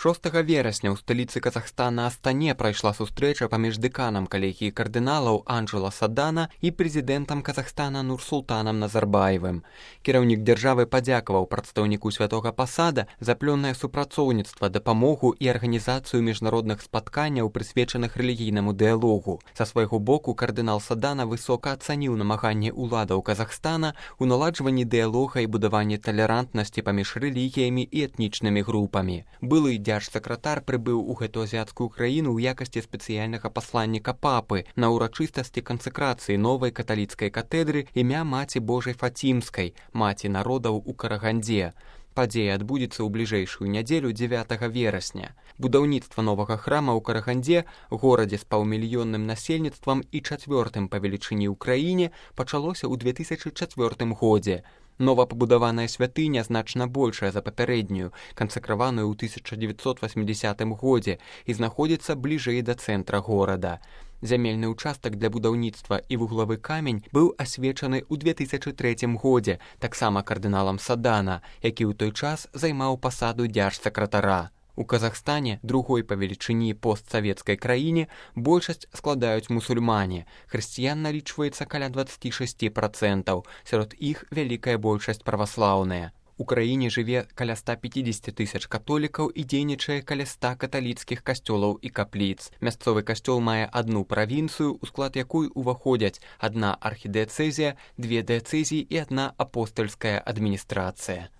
6 верасня ў сталіцы Казахстана Астане прайшла сустрэча паміж дэканам калегіі кардыналаў Анджела Садана і прэзідэнтам Казахстана Нурсултанам Назарбаевым. Кіраўнік дзяржавы падзякаваў прадстаўніку святога пасада за плённае супрацоўніцтва, дапамогу і арганізацыю міжнародных спатканняў, прысвечаных рэлігійнаму дыялогу. Са свайго боку кардынал Садана высока ацаніў намаганні ўладаў Казахстана ў наладжванні дыялога і будаванні талерантнасці паміж рэлігіямі і этнічнымі групамі. Былы дзяржсакратар прыбыў у гэту азіяцкую краіну ў якасці спецыяльнага пасланніка папы на ўрачыстасці кансакрацыі новай каталіцкай катэдры імя Маці Божай Фацімскай, маці народаў у Карагандзе. Падзея адбудзецца ў бліжэйшую нядзелю 9 верасня. Будаўніцтва новага храма ў Карагандзе, горадзе з паўмільённым насельніцтвам і 4-м па велічыні ў краіне, пачалося ў 2004 годзе. Новапабудаваная святыня значна большая за папярэднюю, кансакраваную ў 1980 годзе і знаходзіцца бліжэй да цэнтра горада. Зямельны ўчастак для будаўніцтва і вуглавы камень быў асвечаны ў 2003 годзе, таксама кардыналам Садана, які ў той час займаў пасаду дзяржсакратара. У Казахстане, другой па велічыні постсавецкай краіне, большасць складаюць мусульмане. Хрысціян налічваецца каля 26%, сярод іх вялікая большасць праваслаўная. У краіне жыве каля 150 тысяч католікаў і дзейнічае каля 100 каталіцкіх касцёлаў і капліц. Мясцовы касцёл мае адну правінцыю, у склад якой уваходзяць адна архідыяцэзія, 2 дыяцэзіі і 1 апостальская адміністрацыя.